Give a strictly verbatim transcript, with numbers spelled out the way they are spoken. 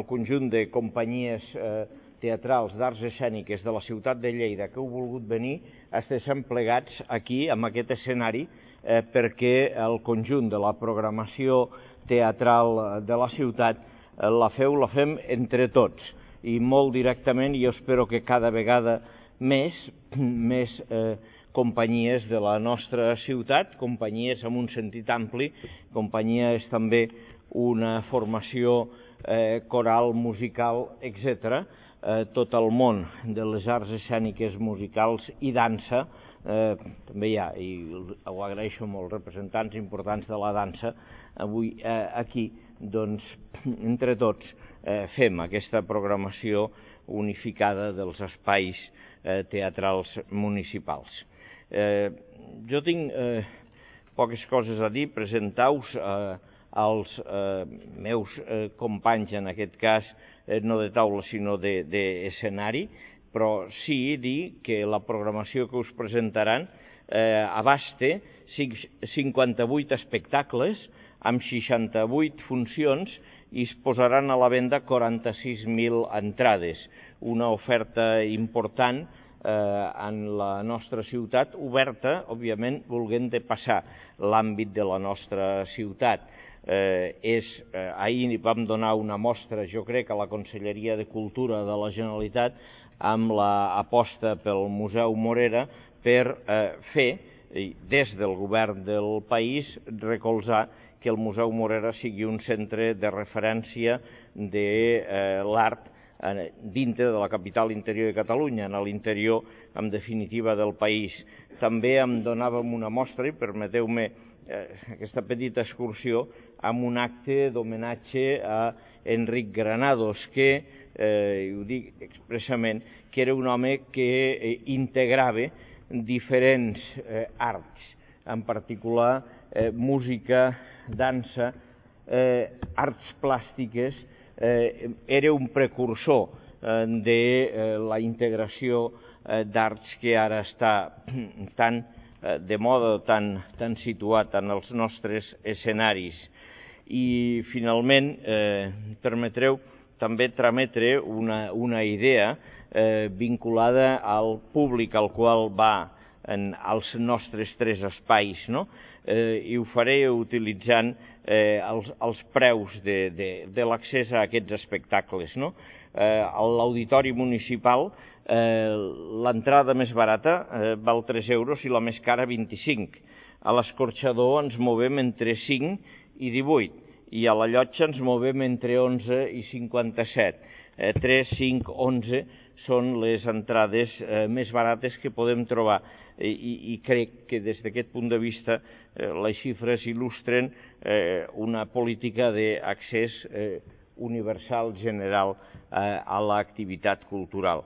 el conjunt de companyies teatrals d'arts escèniques de la ciutat de Lleida que heu volgut venir, estiguem plegats aquí, en aquest escenari, perquè el conjunt de la programació teatral de la ciutat la feu, la fem entre tots, i molt directament, i jo espero que cada vegada més, més companyies de la nostra ciutat, companyies en un sentit ampli, companyia és també una formació coral, musical, etcètera, tot el món de les arts escèniques, musicals i dansa, també hi ha, i ho agraeixo molt, representants importants de la dansa, avui aquí, doncs, entre tots, fem aquesta programació unificada dels espais teatrals municipals. Jo tinc poques coses a dir, presentar-vos als meus companys, en aquest cas, no de taula, sinó d'escenari, però sí dir que la programació que us presentaran abasta cinquanta-vuit espectacles amb seixanta-vuit funcions i es posaran a la venda quaranta-sis mil entrades, una oferta important en la nostra ciutat, oberta, òbviament, volent de passar l'àmbit de la nostra ciutat. Ahir vam donar una mostra, jo crec, a la Conselleria de Cultura de la Generalitat amb l'aposta pel Museu Morera per fer, des del govern del país, recolzar que el Museu Morera sigui un centre de referència de l'art dintre de la capital interior de Catalunya, en l'interior, en definitiva, del país. També em donàvem una mostra, i permeteu-me aquesta petita excursió, amb un acte d'homenatge a Enric Granados, que, i ho dic expressament, que era un home que integrava diferents arts, en particular música, dansa, arts plàstiques, era un precursor de la integració d'arts que ara està tan de moda, tan situat en els nostres escenaris. I, finalment, permetreu també trametre una idea vinculada al públic al qual va als nostres tres espais, i ho faré utilitzant els preus de l'accés a aquests espectacles. A l'Auditori Municipal l'entrada més barata val tres euros i la més cara vint-i-cinc. A l'Escorxador ens movem entre cinc i divuit i a la Llotja ens movem entre onze i cinquanta-set. tres, cinc, onze són les entrades més barates que podem trobar i crec que des d'aquest punt de vista les xifres il·lustren una política d'accés universal general a l'activitat cultural.